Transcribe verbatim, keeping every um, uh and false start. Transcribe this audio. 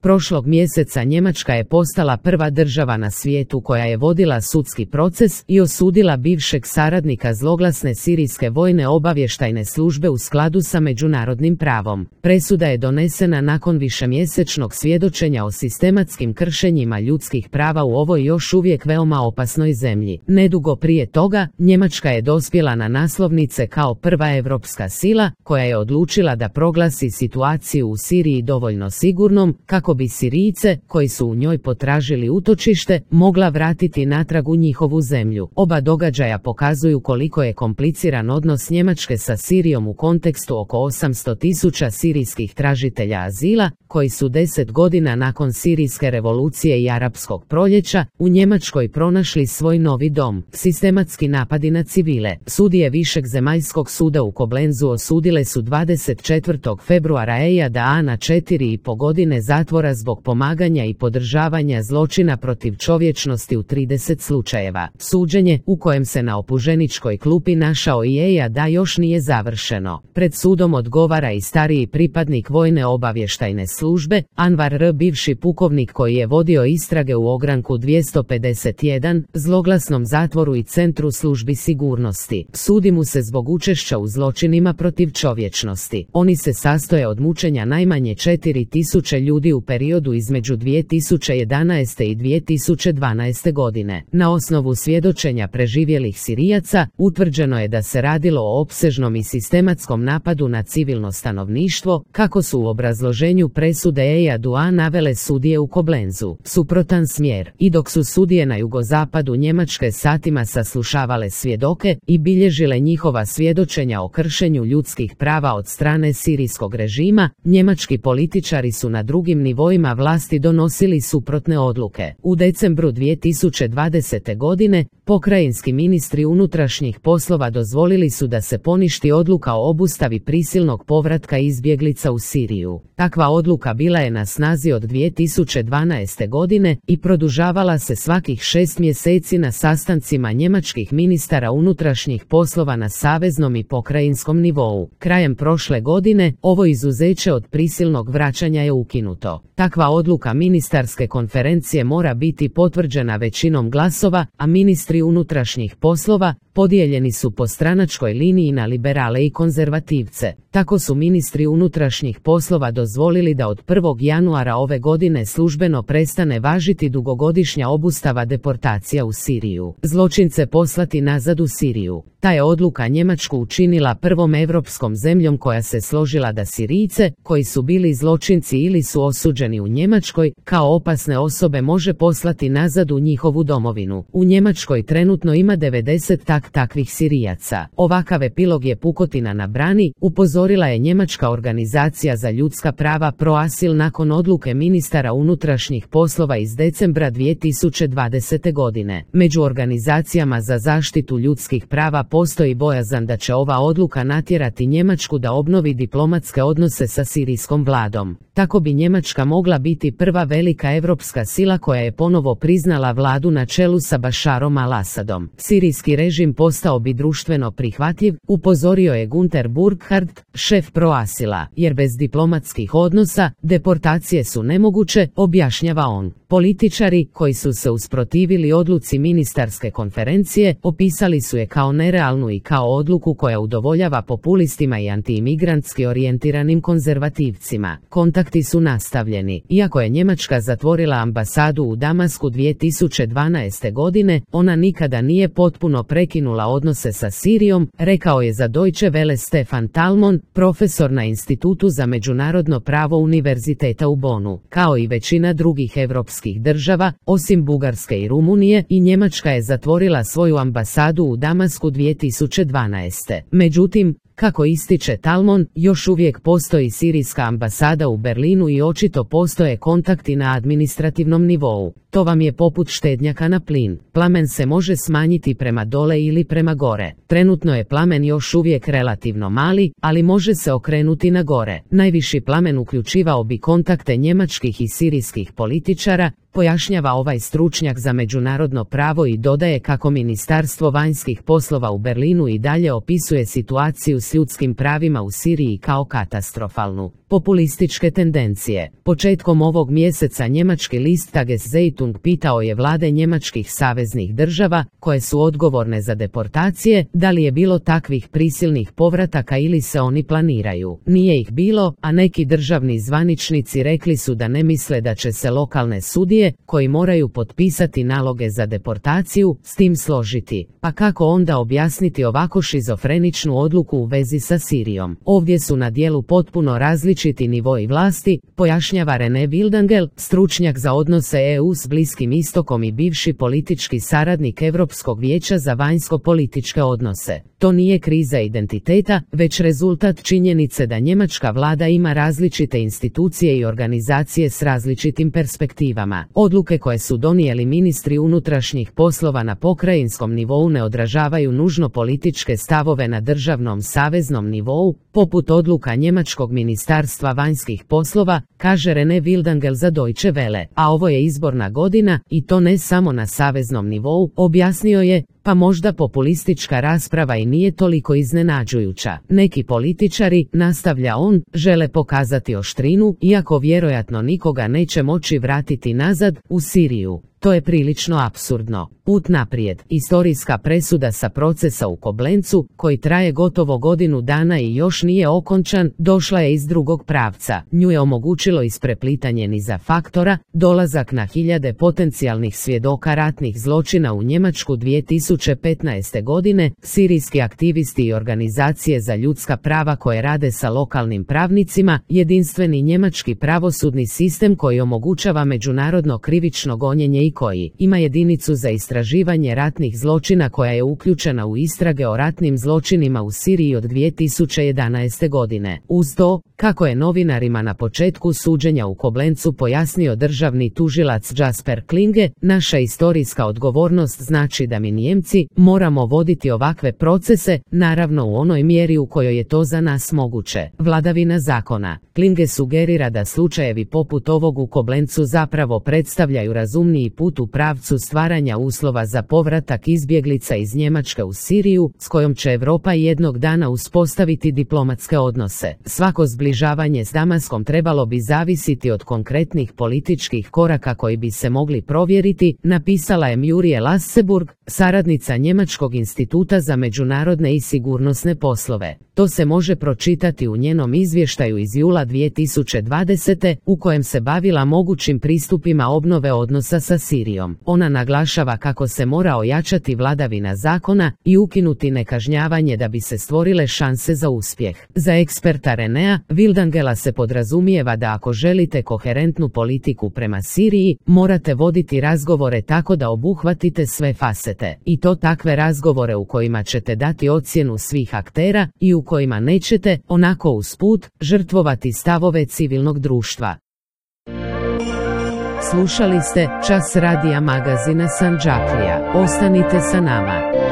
Prošlog mjeseca Njemačka je postala prva država na svijetu koja je vodila sudski proces i osudila bivšeg saradnika zloglasne sirijske vojne obavještajne službe u skladu sa međunarodnim pravom. Presuda je donesena nakon višemjesečnog svjedočenja o sistematskim kršenjima ljudskih prava u ovoj još uvijek veoma opasnoj zemlji. Nedugo prije toga, Njemačka je dospjela na naslovnice kao prva europska sila koja je odlučila da proglasi situaciju u Siriji dovoljno sigurnom kako bi Sirijce, koji su u njoj potražili utočište, mogla vratiti natrag u njihovu zemlju. Oba događaja pokazuju koliko je kompliciran odnos Njemačke sa Sirijom u kontekstu oko osamsto tisuća sirijskih tražitelja azila, koji su deset godina nakon sirijske revolucije i arapskog proljeća u Njemačkoj pronašli svoj novi dom. Sistematski napadi na civile. Sudije Višeg zemaljskog suda u Koblenzu osudile su dvadeset četvrtog februara Ejada na četiri i po godine zatvora zbog pomaganja i podržavanja zločina protiv čovječnosti u trideset slučajeva. Suđenje, u kojem se na optuženičkoj klupi našao i Ejada, još nije završeno. Pred sudom odgovara i stariji pripadnik vojne obavještajne službe, Anvar R., bivši pukovnik koji je vodio istrage u ogranku dvjesto pedeset jedan, zloglasnom zatvoru i centru službi sigurnosti. Sudi mu se zbog učešća u zločinima protiv čovječnosti. Oni se sastoje od mučenja najmanje četiri tisuće ljudi u periodu između dvije tisuće jedanaeste i dvije tisuće dvanaeste godine. Na osnovu svjedočenja preživjelih Sirijaca, utvrđeno je da se radilo o opsežnom i sistematskom napadu na civilno stanovništvo, kako su u obrazloženju presude Ejadu A navele sudije u Koblenzu. Suprotan smjer. I dok su sudije na jugozapadu Njemačke satima saslušavale svjedoke i bilježile njihova svjedočenja o kršenju ljudskih prava od strane sirijskog režima, njemački političari su na drugim nivoima vlasti donosili suprotne odluke. U decembru dvije tisuće dvadesete godine, pokrajinski ministri unutrašnjih poslova dozvolili su da se poništi odluka o obustavi prisilnog povratka izbjeglica u Siriju. Takva odluka bila je na snazi od dvije tisuće dvanaeste godine i produžavala se svakih šest mjeseci na sastancima njemačkih ministara unutrašnjih poslova na saveznom i pokrajinskom nivou. Krajem prošle godine, ovo izuzeće od prisilnog vraćanja je ukinuto. Takva odluka ministarske konferencije mora biti potvrđena većinom glasova, a ministri unutrašnjih poslova podijeljeni su po stranačkoj liniji na liberale i konzervativce. Tako su ministri unutrašnjih poslova dozvolili da od prvog januara ove godine službeno prestane važiti dugogodišnja obustava deportacija u Siriju. Zločince poslati nazad u Siriju. Ta je odluka Njemačku učinila prvom europskom zemljom koja se složila da Sirijce, koji su bili zločinci ili su osuđeni u Njemačkoj, kao opasne osobe može poslati nazad u njihovu domovinu. U Njemačkoj trenutno ima devedeset tak takvih Sirijaca. Ovakav epilog je pukotina na brani, upozorila je njemačka organizacija za ljudska prava Proasil nakon odluke ministara unutrašnjih poslova iz decembra dvije tisuće dvadesete godine. Među organizacijama za zaštitu ljudskih prava postoji bojazan da će ova odluka natjerati Njemačku da obnovi diplomatske odnose sa sirijskom vladom. Tako bi Njemačka mogla biti prva velika europska sila koja je ponovo priznala vladu na čelu sa Bašarom al-Asadom. Sirijski režim postao bi društveno prihvatljiv, upozorio je Gunter Burkhardt, šef Proasila, jer bez diplomatskih odnosa deportacije su nemoguće, objašnjava on. Političari, koji su se usprotivili odluci ministarske konferencije, opisali su je kao nerealnu i kao odluku koja udovoljava populistima i antiimigrantski orijentiranim konzervativcima. Kontakti su nastavljeni. Iako je Njemačka zatvorila ambasadu u Damasku dvije tisuće dvanaeste godine, ona nikada nije potpuno prekinula odnose sa Sirijom, rekao je za Deutsche Welle Stefan Talmon, profesor na Institutu za međunarodno pravo Univerziteta u Bonu. Kao i većina drugih evropskih država, osim Bugarske i Rumunije, i Njemačka je zatvorila svoju ambasadu u Damasku dvije tisuće dvanaeste. Međutim, kako ističe Talmon, još uvijek postoji sirijska ambasada u Berlinu i očito postoje kontakti na administrativnom nivou. To vam je poput štednjaka na plin. Plamen se može smanjiti prema dole ili prema gore. Trenutno je plamen još uvijek relativno mali, ali može se okrenuti na gore. Najviši plamen uključivao bi kontakte njemačkih i sirijskih političara, pojašnjava ovaj stručnjak za međunarodno pravo i dodaje kako Ministarstvo vanjskih poslova u Berlinu i dalje opisuje situaciju s ljudskim pravima u Siriji kao katastrofalnu. Populističke tendencije. Početkom ovog mjeseca njemački list Tageszeitung pitao je vlade njemačkih saveznih država, koje su odgovorne za deportacije, da li je bilo takvih prisilnih povrataka ili se oni planiraju. Nije ih bilo, a neki državni zvaničnici rekli su da ne misle da će se lokalne sudije, koji moraju potpisati naloge za deportaciju, s tim složiti. Pa kako onda objasniti ovako šizofreničnu odluku u vezi sa Sirijom? Ovdje su na dijelu potpuno različiti nivoi vlasti, pojašnjava René Wildengel, stručnjak za odnose E U s Bliskim istokom i bivši politički saradnik Europskog vijeća za vanjsko-političke odnose. To nije kriza identiteta, već rezultat činjenice da njemačka vlada ima različite institucije i organizacije s različitim perspektivama. Odluke koje su donijeli ministri unutrašnjih poslova na pokrajinskom nivou ne odražavaju nužno političke stavove na državnom saveznom nivou, poput odluka njemačkog ministarstva vanjskih poslova, kaže René Wildengel za Deutsche Welle. A ovo je izborna godina, i to ne samo na saveznom nivou, objasnio je, pa možda populistička rasprava i nije toliko iznenađujuća. Neki političari, nastavlja on, žele pokazati oštrinu, iako vjerojatno nikoga neće moći vratiti nazad, u Siriju. To je prilično apsurdno. Put naprijed. Istorijska presuda sa procesa u Koblencu, koji traje gotovo godinu dana i još nije okončan, došla je iz drugog pravca. Nju je omogućilo ispreplitanje niza faktora, dolazak na hiljade potencijalnih svjedoka ratnih zločina u Njemačku dvije tisuće petnaeste. godine, sirijski aktivisti i organizacije za ljudska prava koje rade sa lokalnim pravnicima, jedinstveni njemački pravosudni sistem koji omogućava međunarodno krivično gonjenje i koji ima jedinicu za istraživanje ratnih zločina koja je uključena u istrage o ratnim zločinima u Siriji od dvije tisuće jedanaeste. godine. Uz to, kako je novinarima na početku suđenja u Koblencu pojasnio državni tužilac Jasper Klinge, naša istorijska odgovornost znači da mi Nijemci moramo voditi ovakve procese, naravno u onoj mjeri u kojoj je to za nas moguće. Vladavina zakona. Klinge sugerira da slučajevi poput ovog u Koblencu zapravo predstavljaju razumniji put u pravcu stvaranja uslova za povratak izbjeglica iz Njemačke u Siriju, s kojom će Europa jednog dana uspostaviti diplomatske odnose. Svako zbližavanje s Damaskom trebalo bi zavisiti od konkretnih političkih koraka koji bi se mogli provjeriti, napisala je Muriel Lasseburg, saradnica Njemačkog instituta za međunarodne i sigurnosne poslove. To se može pročitati u njenom izvještaju iz jula dvije tisuće dvadesete. u kojem se bavila mogućim pristupima obnove odnosa sa Sirijom. Ona naglašava kako se mora ojačati vladavina zakona i ukinuti nekažnjavanje da bi se stvorile šanse za uspjeh. Za eksperta Renea Wildengela se podrazumijeva da ako želite koherentnu politiku prema Siriji, morate voditi razgovore tako da obuhvatite sve fasete. I to takve razgovore u kojima ćete dati ocjenu svih aktera i u kojima nećete, onako usput, žrtvovati stavove civilnog društva. Slušali ste Čas radija magazina Sandžaklija. Ostanite sa nama.